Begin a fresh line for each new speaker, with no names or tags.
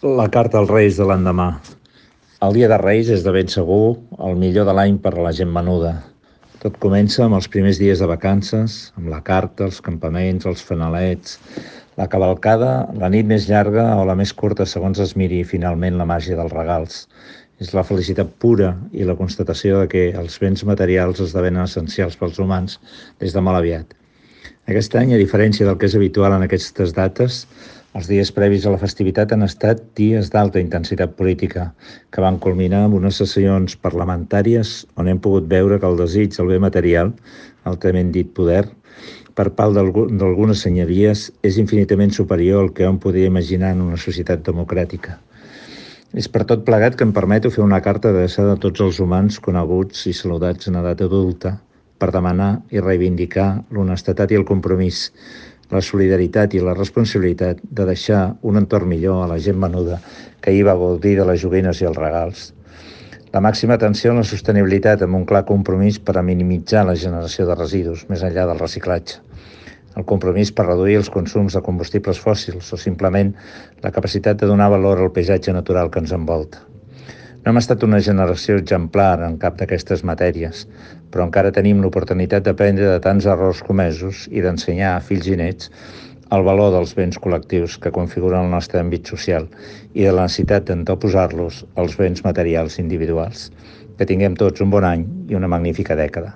La carta als Reis de l'endemà. El dia de Reis és de ben segur el millor de l'any per a la gent menuda. Tot comença amb els primers dies de vacances, amb la carta, els campaments, els fanalets, la cavalcada, la nit més llarga o la més curta segons es miri i finalment la màgia dels regals. És la felicitat pura i la constatació de que els béns materials esdevenen essencials pels humans des de molt aviat. Aquest any, a diferència del que és habitual en aquestes dates, els dies previs a la festivitat han estat dies d'alta intensitat política, que van culminar amb unes sessions parlamentàries on hem pogut veure que el desig del bé material, altament dit poder, per part d'algunes senyories és infinitament superior al que hom podia imaginar en una societat democràtica. És per tot plegat que em permeto fer una carta adreçada a tots els humans coneguts i saludats en edat adulta per demanar i reivindicar l'honestedat i el compromís, la solidaritat i la responsabilitat de deixar un entorn millor a la gent menuda que ahir va gaudir de les joguines i els regals. La màxima atenció a la sostenibilitat amb un clar compromís per a minimitzar la generació de residus més enllà del reciclatge. El compromís per reduir els consums de combustibles fòssils o simplement la capacitat de donar valor al paisatge natural que ens envolta. No hem estat una generació exemplar en cap d'aquestes matèries, però encara tenim l'oportunitat d'aprendre de tants errors comesos i d'ensenyar a fills i nets el valor dels béns col·lectius que configuren el nostre àmbit social i de la necessitat d'anteposar-los als béns materials individuals. Que tinguem tots un bon any i una magnífica dècada.